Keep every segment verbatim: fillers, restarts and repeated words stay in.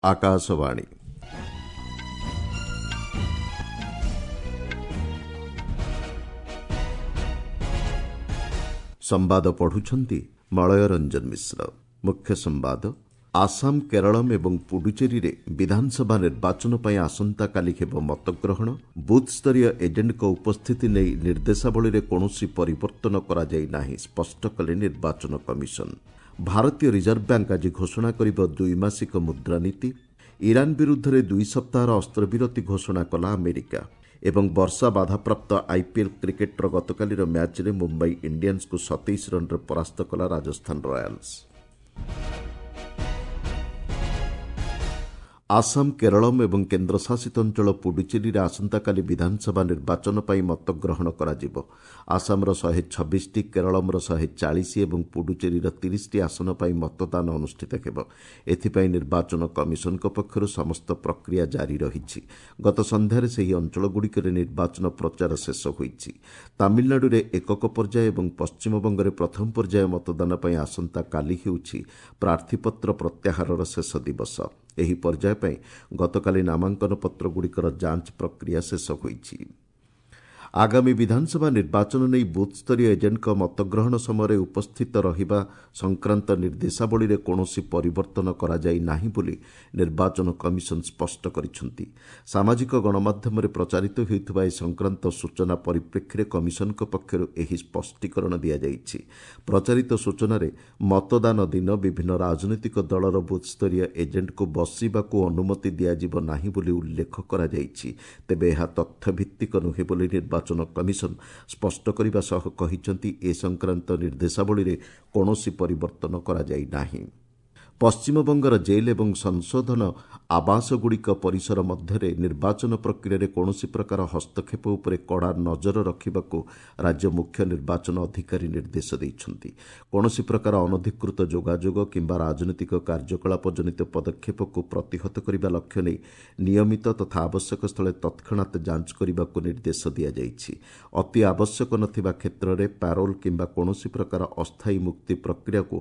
ଆକାଶବାଣୀ ସମ୍ବାଦ ପଢୁଛନ୍ତି ମଳୟ ରଞ୍ଜନ ମିଶ୍ର। ମୁଖ୍ୟ ସମ୍ବାଦ। ଆସାମ, କେରଳମ୍ ଏବଂ ପୁଡୁଚେରୀରେ ବିଧାନସଭା ନିର୍ବାଚନ ପାଇଁ ଆସନ୍ତାକାଲି ହେବ ମତଗ୍ରହଣ। ବୁଥ୍ସ୍ତରୀୟ ଏଜେଣ୍ଟଙ୍କ ଉପସ୍ଥିତି ନେଇ ନିର୍ଦ୍ଦେଶାବଳୀରେ କୌଣସି ପରିବର୍ତ୍ତନ କରାଯାଇ ନାହିଁ, ସ୍ପଷ୍ଟ କଲେ ନିର୍ବାଚନ କମିଶନ। ଭାରତୀୟ ରିଜର୍ଭ ବ୍ୟାଙ୍କ ଆଜି ଘୋଷଣା କରିବ ଦ୍ୱିମାସିକ ମୁଦ୍ରାନୀତି। ଇରାନ ବିରୁଦ୍ଧରେ ଦୁଇ ସପ୍ତାହର ଅସ୍ତ୍ରବିରତି ଘୋଷଣା କଲା ଆମେରିକା। ଏବଂ ବର୍ଷା ବାଧାପ୍ରାପ୍ତ ଆଇପିଏଲ୍ କ୍ରିକେଟ୍ର ଗତକାଲିର ମ୍ୟାଚ୍ରେ ମୁମ୍ବାଇ ଇଣ୍ଡିଆନ୍ସକୁ ସତେଇଶ ରନ୍ରେ ପରାସ୍ତ କଲା ରାଜସ୍ଥାନ ରୟାଲ୍ସ। ଆସାମ, କେରଳମ୍ ଏବଂ କେନ୍ଦ୍ରଶାସିତ ଅଞ୍ଚଳ ପୁଡୁଚେରୀରେ ଆସନ୍ତାକାଲି ବିଧାନସଭା ନିର୍ବାଚନ ପାଇଁ ମତଗ୍ରହଣ କରାଯିବ। ଆସାମର ଶହେ ଛବିଶଟି, କେରଳମ୍ର ଶହେ ଚାଳିଶ ଏବଂ ପୁଡୁଚେରୀର ତିରିଶଟି ଆସନ ପାଇଁ ମତଦାନ ଅନୁଷ୍ଠିତ ହେବ। ଏଥିପାଇଁ ନିର୍ବାଚନ କମିଶନଙ୍କ ପକ୍ଷରୁ ସମସ୍ତ ପ୍ରକ୍ରିୟା ଜାରି ରହିଛି। ଗତ ସନ୍ଧ୍ୟାରେ ସେହି ଅଞ୍ଚଳଗୁଡ଼ିକରେ ନିର୍ବାଚନ ପ୍ରଚାର ଶେଷ ହୋଇଛି। ତାମିଲନାଡୁରେ ଏକକ ପର୍ଯ୍ୟାୟ ଏବଂ ପଶ୍ଚିମବଙ୍ଗରେ ପ୍ରଥମ ପର୍ଯ୍ୟାୟ ମତଦାନ ପାଇଁ ଆସନ୍ତାକାଲି ହେଉଛି ପ୍ରାର୍ଥୀପତ୍ର ପ୍ରତ୍ୟାହାରର ଶେଷ ଦିବସ। ଏହି ପର୍ଯ୍ୟାୟ ପାଇଁ ଗତକାଲି ନାମାଙ୍କନ ପତ୍ରଗୁଡ଼ିକର ଯାଞ୍ଚ ପ୍ରକ୍ରିୟା ଶେଷ ହୋଇଛି। ଆଗାମୀ ବିଧାନସଭା ନିର୍ବାଚନ ନେଇ ବୁଥ୍ସ୍ତରୀୟ ଏଜେଣ୍ଟଙ୍କ ମତଗ୍ରହଣ ସମୟରେ ଉପସ୍ଥିତ ରହିବା ସଂକ୍ରାନ୍ତ ନିର୍ଦ୍ଦେଶାବଳୀରେ କୌଣସି ପରିବର୍ତ୍ତନ କରାଯାଇ ନାହିଁ ବୋଲି ନିର୍ବାଚନ କମିଶନ ସ୍ପଷ୍ଟ କରିଛନ୍ତି। ସାମାଜିକ ଗଣମାଧ୍ୟମରେ ପ୍ରଚାରିତ ହେଉଥିବା ଏ ସଂକ୍ରାନ୍ତ ସୂଚନା ପରିପ୍ରେକ୍ଷୀରେ କମିଶନଙ୍କ ପକ୍ଷରୁ ଏହି ସ୍ପଷ୍ଟୀକରଣ ଦିଆଯାଇଛି। ପ୍ରଚାରିତ ସୂଚନାରେ ମତଦାନ ଦିନ ବିଭିନ୍ନ ରାଜନୈତିକ ଦଳର ବୁଥ୍ସ୍ତରୀୟ ଏଜେଣ୍ଟଙ୍କୁ ବସିବାକୁ ଅନୁମତି ଦିଆଯିବ ନାହିଁ ବୋଲି ଉଲ୍ଲେଖ କରାଯାଇଛି। ତେବେ ଏହା ତଥ୍ୟଭିତ୍ତିକ ନୁହେଁ ବୋଲି ନିର୍ବାଚନ କମିଶନ ସ୍ପଷ୍ଟ କରିବା ସହ କହିଛନ୍ତି, ଏ ସଂକ୍ରାନ୍ତ ନିର୍ଦ୍ଦେଶାବଳୀରେ କୌଣସି ପରିବର୍ତ୍ତନ କରାଯାଇ ନାହିଁ। ପଶ୍ଚିମବଙ୍ଗର ଜେଲ୍ ଏବଂ ସଂଶୋଧନ ଆବାସଗୁଡ଼ିକ ପରିସର ମଧ୍ୟରେ ନିର୍ବାଚନ ପ୍ରକ୍ରିୟାରେ କୌଣସି ପ୍ରକାର ହସ୍ତକ୍ଷେପ ଉପରେ କଡ଼ା ନଜର ରଖିବାକୁ ରାଜ୍ୟ ମୁଖ୍ୟ ନିର୍ବାଚନ ଅଧିକାରୀ ନିର୍ଦ୍ଦେଶ ଦେଇଛନ୍ତି। କୌଣସି ପ୍ରକାର ଅନଧିକୃତ ଯୋଗାଯୋଗ କିମ୍ବା ରାଜନୈତିକ କାର୍ଯ୍ୟକଳାପ ଜନିତ ପଦକ୍ଷେପକୁ ପ୍ରତିହତ କରିବା ଲକ୍ଷ୍ୟ ନେଇ ନିୟମିତ ତଥା ଆବଶ୍ୟକ ସ୍ଥଳେ ତତ୍କ୍ଷଣାତ୍ ଯାଞ୍ଚ କରିବାକୁ ନିର୍ଦ୍ଦେଶ ଦିଆଯାଇଛି। ଅତି ଆବଶ୍ୟକ ନଥିବା କ୍ଷେତ୍ରରେ ପ୍ୟାରୋଲ୍ କିମ୍ବା କୌଣସି ପ୍ରକାର ଅସ୍ଥାୟୀ ମୁକ୍ତି ପ୍ରକ୍ରିୟାକୁ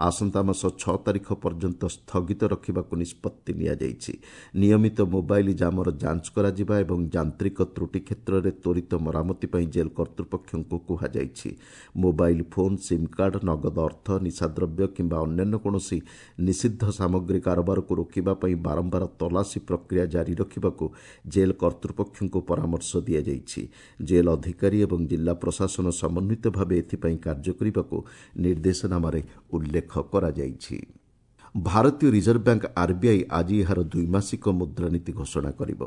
ଆସନ୍ତା ମାସ ଛଅ ତାରିଖ ପର୍ଯ୍ୟନ୍ତ ସ୍ଥଗିତ ରଖିବାକୁ ନିଷ୍ପତ୍ତି ନିଆଯାଇଛି। ନିୟମିତ ମୋବାଇଲ ଜାମର ଯାଞ୍ଚ କରାଯିବା ଏବଂ ଯାନ୍ତ୍ରିକ ତ୍ରୁଟି କ୍ଷେତ୍ରରେ ତ୍ୱରିତ ମରାମତି ପାଇଁ ଜେଲ୍ କର୍ତ୍ତୃପକ୍ଷଙ୍କୁ କୁହାଯାଇଛି। ମୋବାଇଲ ଫୋନ୍, ସିମ୍ କାର୍ଡ, ନଗଦ ଅର୍ଥ, ନିଶାଦ୍ରବ୍ୟ କିମ୍ବା ଅନ୍ୟାନ୍ୟ କୌଣସି ନିଷିଦ୍ଧ ସାମଗ୍ରୀ କାରବାରକୁ ରୋକିବା ପାଇଁ ବାରମ୍ବାର ତଲାସୀ ପ୍ରକ୍ରିୟା ଜାରି ରଖିବାକୁ ଜେଲ୍ କର୍ତ୍ତୃପକ୍ଷଙ୍କୁ ପରାମର୍ଶ ଦିଆଯାଇଛି। ଜେଲ୍ ଅଧିକାରୀ ଏବଂ ଜିଲ୍ଲା ପ୍ରଶାସନ ସମନ୍ୱିତ ଭାବେ ଏଥିପାଇଁ କାର୍ଯ୍ୟ କରିବାକୁ ନିର୍ଦ୍ଦେଶନାମାରେ ଉଲ୍ଲେଖ କରାଯାଇଛି। ଭାରତୀୟ ରିଜର୍ଭ ବ୍ୟାଙ୍କ ଆର୍ବିଆଇ ଆଜି ଏହାର ଦ୍ୱିମାସିକ ମୁଦ୍ରାନୀତି ଘୋଷଣା କରିବ।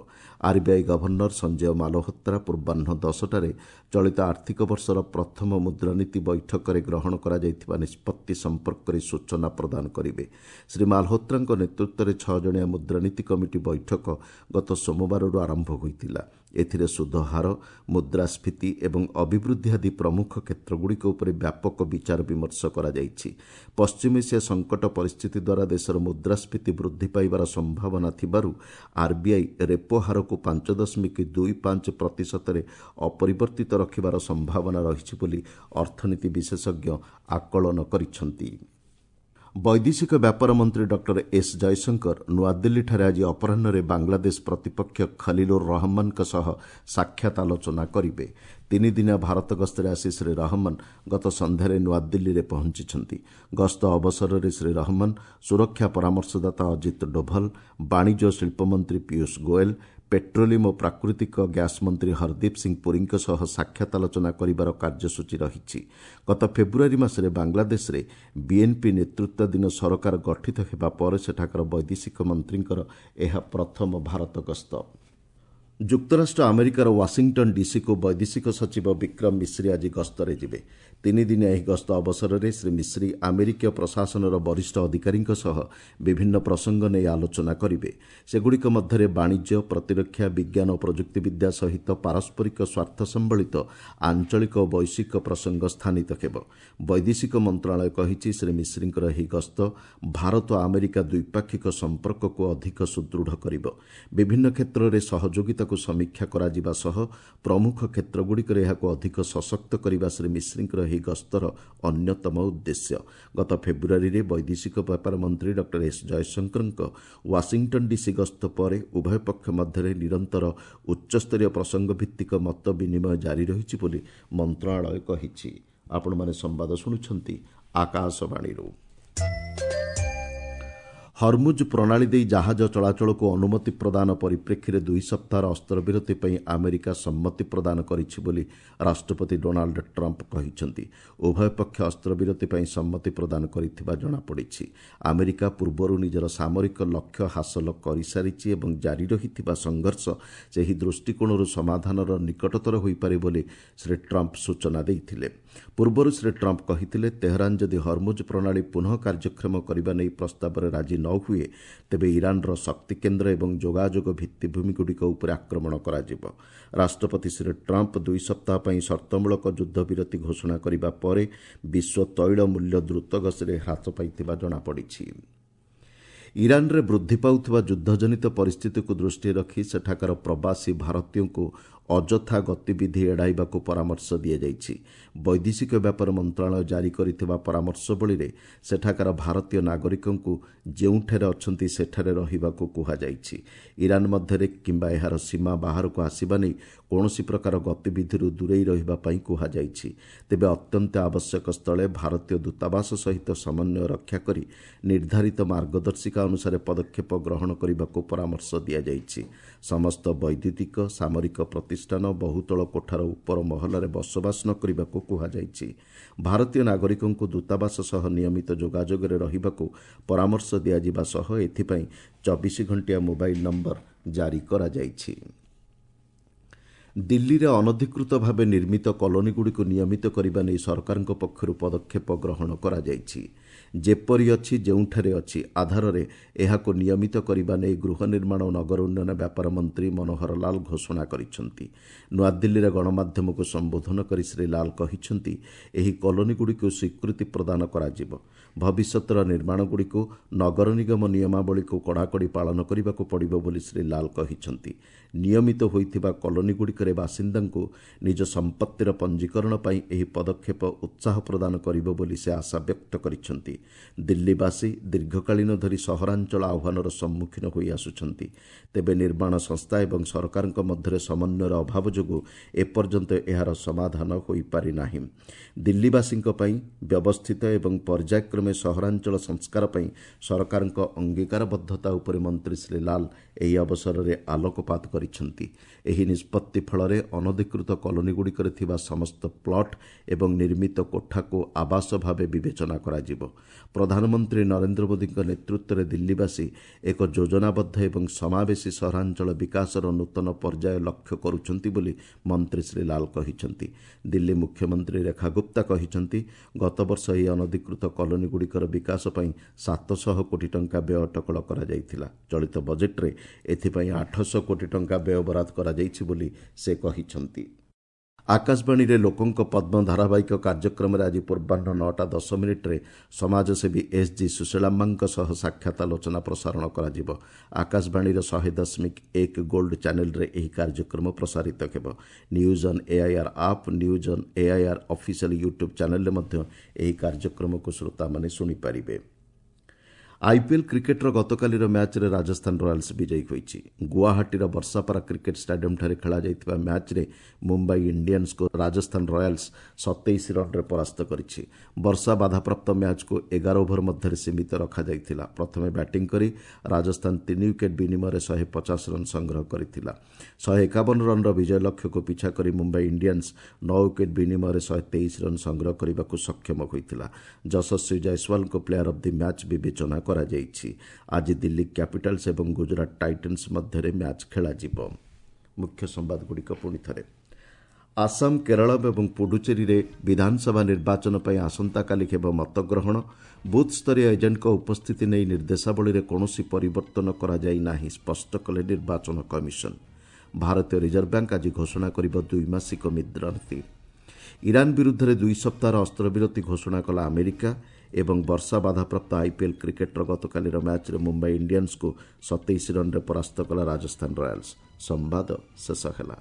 ଆର୍ବିଆଇ ଗଭର୍ଣ୍ଣର ସଞ୍ଜୟ ମାଲହୋତ୍ରା ପୂର୍ବାହ୍ନ ଦଶଟାରେ ଚଳିତ ଆର୍ଥିକ ବର୍ଷର ପ୍ରଥମ ମୁଦ୍ରାନୀତି ବୈଠକରେ ଗ୍ରହଣ କରାଯାଇଥିବା ନିଷ୍ପତ୍ତି ସମ୍ପର୍କରେ ସୂଚନା ପ୍ରଦାନ କରିବେ। ଶ୍ରୀ ମାଲହୋତ୍ରାଙ୍କ ନେତୃତ୍ୱରେ ଛଅ ଜଣିଆ ମୁଦ୍ରାନୀତି କମିଟି ବୈଠକ ଗତ ସୋମବାରରୁ ଆରମ୍ଭ ହୋଇଥିଲା। ଏଥିରେ ସୁଧ ହାର, ମୁଦ୍ରାସ୍ଫୀତି ଏବଂ ଅଭିବୃଦ୍ଧି ଆଦି ପ୍ରମୁଖ କ୍ଷେତ୍ରଗୁଡ଼ିକ ଉପରେ ବ୍ୟାପକ ବିଚାର ବିମର୍ଶ କରାଯାଇଛି। ପଶ୍ଚିମ ଏସିଆ ସଙ୍କଟ ପରିସ୍ଥିତି ଦ୍ୱାରା ଦେଶର ମୁଦ୍ରାସ୍ଫୀତି ବୃଦ୍ଧି ପାଇବାର ସମ୍ଭାବନା ଥିବାରୁ ଆର୍ବିଆଇ ରେପୋ ହାରକୁ ପାଞ୍ଚ ଦଶମିକ ଦୁଇ ପାଞ୍ଚ ପ୍ରତିଶତରେ ଅପରିବର୍ତ୍ତିତ ରଖିବାର ସମ୍ଭାବନା ରହିଛି ବୋଲି ଅର୍ଥନୀତି ବିଶେଷଜ୍ଞ ଆକଳନ କରିଛନ୍ତି। ବୈଦେଶିକ ବ୍ୟାପାର ମନ୍ତ୍ରୀ ଡକ୍ଟର ଏସ୍ ଜୟଶଙ୍କର ନୂଆଦିଲ୍ଲୀଠାରେ ଆଜି ଅପରାହ୍ନରେ ବାଂଲାଦେଶ ପ୍ରତିପକ୍ଷ ଖଲିଲୁର ରହମାନଙ୍କ ସହ ସାକ୍ଷାତ ଆଲୋଚନା କରିବେ। ତିନିଦିନିଆ ଭାରତ ଗସ୍ତରେ ଆସି ଶ୍ରୀ ରହମନ ଗତ ସନ୍ଧ୍ୟାରେ ନୂଆଦିଲ୍ଲୀରେ ପହଞ୍ଚିଛନ୍ତି। ଗସ୍ତ ଅବସରରେ ଶ୍ରୀ ରହମନ ସୁରକ୍ଷା ପରାମର୍ଶଦାତା ଅଜିତ ଡୋଭଲ, ବାଣିଜ୍ୟ ଓ ଶିଳ୍ପମନ୍ତ୍ରୀ ପୀୟୁଷ ଗୋଏଲ, ପେଟ୍ରୋଲିୟମ ଓ ପ୍ରାକୃତିକ ଗ୍ୟାସ୍ ମନ୍ତ୍ରୀ ହରଦୀପ ସିଂ ପୁରୀଙ୍କ ସହ ସାକ୍ଷାତ ଆଲୋଚନା କରିବାର କାର୍ଯ୍ୟସୂଚୀ ରହିଛି। ଗତ ଫେବୃଆରୀ ମାସରେ ବାଂଲାଦେଶରେ ବିଏନ୍ପି ନେତୃତ୍ୱାଧୀନ ସରକାର ଗଠିତ ହେବା ପରେ ସେଠାକାର ବୈଦେଶିକ ମନ୍ତ୍ରୀଙ୍କର ଏହା ପ୍ରଥମ ଭାରତ ଗସ୍ତ। ଯୁକ୍ତରାଷ୍ଟ୍ର ଆମେରିକାର ୱାଶିଂଟନ୍ ଡିସିକୁ ବୈଦେଶିକ ସଚିବ ବିକ୍ରମ ମିଶ୍ରି ଆଜି ଗସ୍ତରେ ଯିବେ। ତିନିଦିନିଆ ଏହି ଗସ୍ତ ଅବସରରେ ଶ୍ରୀ ମିଶ୍ରି ଆମେରିକୀୟ ପ୍ରଶାସନର ବରିଷ୍ଠ ଅଧିକାରୀଙ୍କ ସହ ବିଭିନ୍ନ ପ୍ରସଙ୍ଗ ନେଇ ଆଲୋଚନା କରିବେ। ସେଗୁଡ଼ିକ ମଧ୍ୟରେ ବାଣିଜ୍ୟ, ପ୍ରତିରକ୍ଷା, ବିଜ୍ଞାନ ଓ ପ୍ରଯୁକ୍ତିବିଦ୍ୟା ସହିତ ପାରସ୍ପରିକ ସ୍ୱାର୍ଥ ସମ୍ବଳିତ ଆଞ୍ଚଳିକ ଓ ବୈଶ୍ୱିକ ପ୍ରସଙ୍ଗ ସ୍ଥାନିତ ହେବ। ବୈଦେଶିକ ମନ୍ତ୍ରଣାଳୟ କହିଛି, ଶ୍ରୀ ମିଶ୍ରିଙ୍କର ଏହି ଗସ୍ତ ଭାରତ ଆମେରିକା ଦ୍ୱିପାକ୍ଷିକ ସମ୍ପର୍କକୁ ଅଧିକ ସୁଦୃଢ଼ କରିବ। ବିଭିନ୍ନ କ୍ଷେତ୍ରରେ ସହଯୋଗିତାକୁ ସମୀକ୍ଷା କରାଯିବା ସହ ପ୍ରମୁଖ କ୍ଷେତ୍ରଗୁଡ଼ିକରେ ଏହାକୁ ଅଧିକ ସଶକ୍ତ କରିବା ଶ୍ରୀ ମିଶ୍ରିଙ୍କର ଏହି ଗସ୍ତର ଅନ୍ୟତମ ଉଦ୍ଦେଶ୍ୟ। ଗତ ଫେବୃଆରୀରେ ବୈଦେଶିକ ବ୍ୟାପାର ମନ୍ତ୍ରୀ ଡକ୍ଟର ଏସ୍ ଜୟଶଙ୍କରଙ୍କ ୱାଶିଂଟନ୍ ଡିସି ଗସ୍ତ ପରେ ଉଭୟ ପକ୍ଷ ମଧ୍ୟରେ ନିରନ୍ତର ଉଚ୍ଚସ୍ତରୀୟ ପ୍ରସଙ୍ଗ ଭିତ୍ତିକ ମତ ବିନିମୟ ଜାରି ରହିଛି ବୋଲି ମନ୍ତ୍ରଣାଳୟ କହିଛି। ଆପଣମାନେ ସମ୍ବାଦ ଶୁଣୁଛନ୍ତି ଆକାଶବାଣୀରୁ। ହରମୁଜ ପ୍ରଣାଳୀ ଦେଇ ଜାହାଜ ଚଳାଚଳକୁ ଅନୁମତି ପ୍ରଦାନ ପରିପ୍ରେକ୍ଷୀରେ ଦୁଇ ସପ୍ତାହର ଅସ୍ତ୍ରବିରତି ପାଇଁ ଆମେରିକା ସମ୍ମତି ପ୍ରଦାନ କରିଛି ବୋଲି ରାଷ୍ଟ୍ରପତି ଡୋନାଲ୍ଡ ଟ୍ରମ୍ପ କହିଛନ୍ତି। ଉଭୟ ପକ୍ଷ ଅସ୍ତ୍ରବିରତି ପାଇଁ ସମ୍ମତି ପ୍ରଦାନ କରିଥିବା ଜଣାପଡ଼ିଛି। ଆମେରିକା ପୂର୍ବରୁ ନିଜର ସାମରିକ ଲକ୍ଷ୍ୟ ହାସଲ କରିସାରିଛି ଏବଂ ଜାରି ରହିଥିବା ସଂଘର୍ଷ ସେହି ଦୃଷ୍ଟିକୋଣରୁ ସମାଧାନର ନିକଟତର ହୋଇପାରେ ବୋଲି ଶ୍ରୀ ଟ୍ରମ୍ପ ସୂଚନା ଦେଇଥିଲେ। ପୂର୍ବରୁ ଶ୍ରୀ ଟ୍ରମ୍ପ କହିଥିଲେ, ତେହରାନ ଯଦି ହରମୁଜ ପ୍ରଣାଳୀ ପୁନଃ କାର୍ଯ୍ୟକ୍ଷମ କରିବା ନେଇ ପ୍ରସ୍ତାବରେ ରାଜି ନ ହୁଏ, ତେବେ ଇରାନର ଶକ୍ତି କେନ୍ଦ୍ର ଏବଂ ଯୋଗାଯୋଗ ଭିତ୍ତିଭୂମିଗୁଡ଼ିକ ଉପରେ ଆକ୍ରମଣ କରାଯିବ। ରାଷ୍ଟ୍ରପତି ଶ୍ରୀ ଟ୍ରମ୍ପ ଦୁଇ ସପ୍ତାହ ପାଇଁ ସର୍ତ୍ତମୂଳକ ଯୁଦ୍ଧବିରତି ଘୋଷଣା କରିବା ପରେ ବିଶ୍ୱ ତୈଳ ମୂଲ୍ୟ ଦ୍ରୁତଗତିରେ ହ୍ରାସ ପାଇଥିବା ଜଣାପଡ଼ିଛି। ଇରାନରେ ବୃଦ୍ଧି ପାଉଥିବା ଯୁଦ୍ଧଜନିତ ପରିସ୍ଥିତିକୁ ଦୃଷ୍ଟିରେ ରଖି ସେଠାକାର ପ୍ରବାସୀ ଭାରତୀୟଙ୍କୁ ଅଯଥା ଗତିବିଧି ଏଡ଼ାଇବାକୁ ପରାମର୍ଶ ଦିଆଯାଇଛି। ବୈଦେଶିକ ବ୍ୟାପାର ମନ୍ତ୍ରଣାଳୟ ଜାରି କରିଥିବା ପରାମର୍ଶବଳୀରେ ସେଠାକାର ଭାରତୀୟ ନାଗରିକଙ୍କୁ ଯେଉଁଠାରେ ଅଛନ୍ତି ସେଠାରେ ରହିବାକୁ କୁହାଯାଇଛି। ଇରାନ ମଧ୍ୟରେ କିମ୍ବା ଏହାର ସୀମା ବାହାରକୁ ଆସିବା ନେଇ କୌଣସି ପ୍ରକାର ଗତିବିଧିରୁ ଦୂରେଇ ରହିବା ପାଇଁ କୁହାଯାଇଛି। ତେବେ ଅତ୍ୟନ୍ତ ଆବଶ୍ୟକ ସ୍ଥଳେ ଭାରତୀୟ ଦୂତାବାସ ସହିତ ସମନ୍ୱୟ ରକ୍ଷା କରି ନିର୍ଦ୍ଧାରିତ ମାର୍ଗଦର୍ଶିକା ଅନୁସାରେ ପଦକ୍ଷେପ ଗ୍ରହଣ କରିବାକୁ ପରାମର୍ଶ ଦିଆଯାଇଛି। ସମସ୍ତ ବୈଦ୍ୟୁତିକ, ସାମରିକ ପ୍ରତିଷ୍ଠାନ, ବହୁତଳ କୋଠାର ଉପର ମହଲାରେ ବସବାସ ନ କରିବାକୁ କୁହାଯାଇଛି। ଭାରତୀୟ ନାଗରିକଙ୍କୁ ଦୂତାବାସ ସହ ନିୟମିତ ଯୋଗାଯୋଗରେ ରହିବାକୁ ପରାମର୍ଶ ଦିଆଯିବା ସହ ଏଥିପାଇଁ ଚବିଶ ଘଣ୍ଟିଆ ମୋବାଇଲ ନମ୍ବର ଜାରି କରାଯାଇଛି। ଦିଲ୍ଲୀରେ ଅନଧିକୃତ ଭାବେ ନିର୍ମିତ କଲୋନୀଗୁଡ଼ିକୁ ନିୟମିତ କରିବା ନେଇ ସରକାରଙ୍କ ପକ୍ଷରୁ ପଦକ୍ଷେପ ଗ୍ରହଣ କରାଯାଇଛି। ଯେପରି ଅଛି ଯେଉଁଠାରେ ଅଛି ଆଧାରରେ ଏହାକୁ ନିୟମିତ କରିବା ନେଇ ଗୃହ ନିର୍ମାଣ ଓ ନଗର ଉନ୍ନୟନ ବ୍ୟାପାର ମନ୍ତ୍ରୀ ମନୋହର ଲାଲ ଘୋଷଣା କରିଛନ୍ତି। ନୂଆଦିଲ୍ଲୀରେ ଗଣମାଧ୍ୟମକୁ ସମ୍ବୋଧନ କରି ଶ୍ରୀ ଲାଲ କହିଛନ୍ତି, ଏହି କଲୋନୀଗୁଡ଼ିକୁ ସ୍ୱୀକୃତି ପ୍ରଦାନ କରାଯିବ। ଭବିଷ୍ୟତର ନିର୍ମାଣଗୁଡ଼ିକୁ ନଗର ନିଗମ ନିୟମାବଳୀକୁ କଡ଼ାକଡ଼ି ପାଳନ କରିବାକୁ ପଡ଼ିବ ବୋଲି ଶ୍ରୀ ଲାଲ କହିଛନ୍ତି। ନିୟମିତ ହୋଇଥିବା କଲୋନୀଗୁଡ଼ିକରେ ବାସିନ୍ଦାଙ୍କୁ ନିଜ ସମ୍ପତ୍ତିର ପଞ୍ଜୀକରଣ ପାଇଁ ଏହି ପଦକ୍ଷେପ ଉତ୍ସାହ ପ୍ରଦାନ କରିବ ବୋଲି ସେ ଆଶା ବ୍ୟକ୍ତ କରିଛନ୍ତି। ଦିଲ୍ଲୀବାସୀ ଦୀର୍ଘକାଳୀନ ଧରି ସହରାଞ୍ଚଳ ଆହ୍ୱାନର ସମ୍ମୁଖୀନ ହୋଇ ଆସୁଛନ୍ତି। ତେବେ ନିର୍ମାଣ ସଂସ୍ଥା ଏବଂ ସରକାରଙ୍କ ମଧ୍ୟରେ ସମନ୍ୱୟର ଅଭାବ ଯୋଗୁଁ ଏପର୍ଯ୍ୟନ୍ତ ଏହାର ସମାଧାନ ହୋଇପାରିନାହିଁ। ଦିଲ୍ଲୀବାସୀଙ୍କ ପାଇଁ ବ୍ୟବସ୍ଥିତ ଏବଂ ପର୍ଯ୍ୟାୟକ୍ରମେ ସହରାଞ୍ଚଳ ସଂସ୍କାର ପାଇଁ ସରକାରଙ୍କ ଅଙ୍ଗୀକାରବଦ୍ଧତା ଉପରେ ମନ୍ତ୍ରୀ ଶ୍ରୀ ଲାଲ ଏହି ଅବସରରେ ଆଲୋକପାତ କରିଛନ୍ତି। ଏହି ନିଷ୍ପତ୍ତି ଫଳରେ ଅନଧିକୃତ କଲୋନୀଗୁଡ଼ିକରେ ଥିବା ସମସ୍ତ ପ୍ଲଟ୍ ଏବଂ ନିର୍ମିତ କୋଠାକୁ ଆବାସ ଭାବେ ବିବେଚନା କରାଯିବ। ପ୍ରଧାନମନ୍ତ୍ରୀ ନରେନ୍ଦ୍ର ମୋଦିଙ୍କ ନେତୃତ୍ୱରେ ଦିଲ୍ଲୀବାସୀ ଏକ ଯୋଜନାବଦ୍ଧ ଏବଂ ସମାବେଶୀ ସହରାଞ୍ଚଳ ବିକାଶର ନୂତନ ପର୍ଯ୍ୟାୟ ଲକ୍ଷ୍ୟ କରୁଛନ୍ତି ବୋଲି ମନ୍ତ୍ରୀ ଶ୍ରୀ ଲାଲ କହିଛନ୍ତି। ଦିଲ୍ଲୀ ମୁଖ୍ୟମନ୍ତ୍ରୀ ରେଖା ଗୁପ୍ତା କହିଛନ୍ତି, ଗତବର୍ଷ ଏହି ଅନଧିକୃତ କଲୋନୀଗୁଡ଼ିକର ବିକାଶ ପାଇଁ ସାତଶହ କୋଟି ଟଙ୍କା ବ୍ୟୟ ଅଟକଳ କରାଯାଇଥିଲା। ଚଳିତ ବଜେଟ୍ରେ ଏଥିପାଇଁ ଆଠଶହ କୋଟି ଟଙ୍କା ବ୍ୟୟ ବରାଦ କରାଯାଇଛି ବୋଲି ସେ କହିଛନ୍ତି। ଆକାଶବାଣୀରେ ଲୋକଙ୍କ ପଦ୍ମ ଧାରାବାହିକ କାର୍ଯ୍ୟକ୍ରମରେ ଆଜି ପୂର୍ବାହ୍ନ ନଅଟା ଦଶ ମିନିଟ୍ରେ ସମାଜସେବୀ ଏସ୍ ଜି ସୁଶୀଳାମ୍ମାଙ୍କ ସହ ସାକ୍ଷାତ ଆଲୋଚନା ପ୍ରସାରଣ କରାଯିବ। ଆକାଶବାଣୀର ଶହେ ଦଶମିକ ଏକ ଗୋଲ୍ଡ ଚ୍ୟାନେଲରେ ଏହି କାର୍ଯ୍ୟକ୍ରମ ପ୍ରସାରିତ ହେବ। News on AIR app, news on AIR official YouTube ଚ୍ୟାନେଲରେ ମଧ୍ୟ ଏହି କାର୍ଯ୍ୟକ୍ରମକୁ ଶ୍ରୋତାମାନେ ଶୁଣିପାରିବେ। ଆଇପିଏଲ୍ କ୍ରିକେଟ୍ର ଗତକାଲିର ମ୍ୟାଚ୍ରେ ରାଜସ୍ଥାନ ରୟାଲ୍ସ ବିଜୟୀ ହୋଇଛି। ଗୁଆହାଟୀର ବର୍ଷାପାରା କ୍ରିକେଟ୍ ଷ୍ଟାଡିୟମ୍ଠାରେ ଖେଳାଯାଇଥିବା ମ୍ୟାଚ୍ରେ ମୁମ୍ବାଇ ଇଣ୍ଡିଆନ୍ସକୁ ରାଜସ୍ଥାନ ରୟାଲ୍ସ ସତେଇଶ ରନ୍ରେ ପରାସ୍ତ କରିଛି। ବର୍ଷା ବାଧାପ୍ରାପ୍ତ ମ୍ୟାଚ୍କୁ ଏଗାର ଓଭର ମଧ୍ୟରେ ସୀମିତ ରଖାଯାଇଥିଲା। ପ୍ରଥମେ ବ୍ୟାଟିଂ କରି ରାଜସ୍ଥାନ ତିନି ୱିକେଟ୍ ବିନିମୟରେ ଶହେ ପଚାଶ ରନ୍ ସଂଗ୍ରହ କରିଥିଲା। ଶହେ ଏକାବନ ରନ୍ର ବିଜୟ ଲକ୍ଷ୍ୟକୁ ପିଛା କରି ମୁମ୍ବାଇ ଇଣ୍ଡିଆନ୍ସ ନଅ ୱିକେଟ୍ ବିନିମୟରେ ଶହେ ତେଇଶ ରନ୍ ସଂଗ୍ରହ କରିବାକୁ ସକ୍ଷମ ହୋଇଥିଲା। ଯଶସ୍ୱୀ ଜୟସ୍ୱାଲଙ୍କୁ ପ୍ଲେୟାର ଅଫ୍ the match ବିବେଚନା କରାଯାଇଛି। ଆଜି ଦିଲ୍ଲୀ କ୍ୟାପିଟାଲ୍ସ ଏବଂ ଗୁଜରାଟ ଟାଇଟନ୍ସ ମଧ୍ୟରେ ମ୍ୟାଚ୍ ଖେଳାଯିବ। ମୁଖ୍ୟ ସମ୍ବାଦଗୁଡ଼ିକ ପୁଣି ଥରେ। ଆସାମ, କେରଳ ଏବଂ ପୁଡୁଚେରୀରେ ବିଧାନସଭା ନିର୍ବାଚନ ପାଇଁ ଆସନ୍ତାକାଲି ହେବ ମତଗ୍ରହଣ। ବୁଥ୍ ସ୍ତରୀୟ ଏଜେଣ୍ଟଙ୍କ ଉପସ୍ଥିତି ନେଇ ନିର୍ଦ୍ଦେଶାବଳୀରେ କୌଣସି ପରିବର୍ତ୍ତନ କରାଯାଇ ନାହିଁ, ସ୍ପଷ୍ଟ କଲେ ନିର୍ବାଚନ କମିଶନ। ଭାରତୀୟ ରିଜର୍ଭ ବ୍ୟାଙ୍କ ଆଜି ଘୋଷଣା କରିବ ଦ୍ୱିମାସିକ ମୁଦ୍ରାନୀତି। ଇରାନ ବିରୁଦ୍ଧରେ ଦୁଇ ସପ୍ତାହର ଅସ୍ତ୍ରବିରତି ଘୋଷଣା କଲା ଆମେରିକା। ଏବଂ ବର୍ଷା ବାଧାପ୍ରାପ୍ତ ଆଇପିଏଲ୍ କ୍ରିକେଟ୍ର ଗତକାଲିର ମ୍ୟାଚ୍ରେ ମୁମ୍ବାଇ ଇଣ୍ଡିଆନ୍ସକୁ ସତେଇଶ ରନ୍ରେ ପରାସ୍ତ କଲା ରାଜସ୍ଥାନ ରୟାଲ୍ସ। ସମ୍ବାଦ ଶେଷ ହେଲା।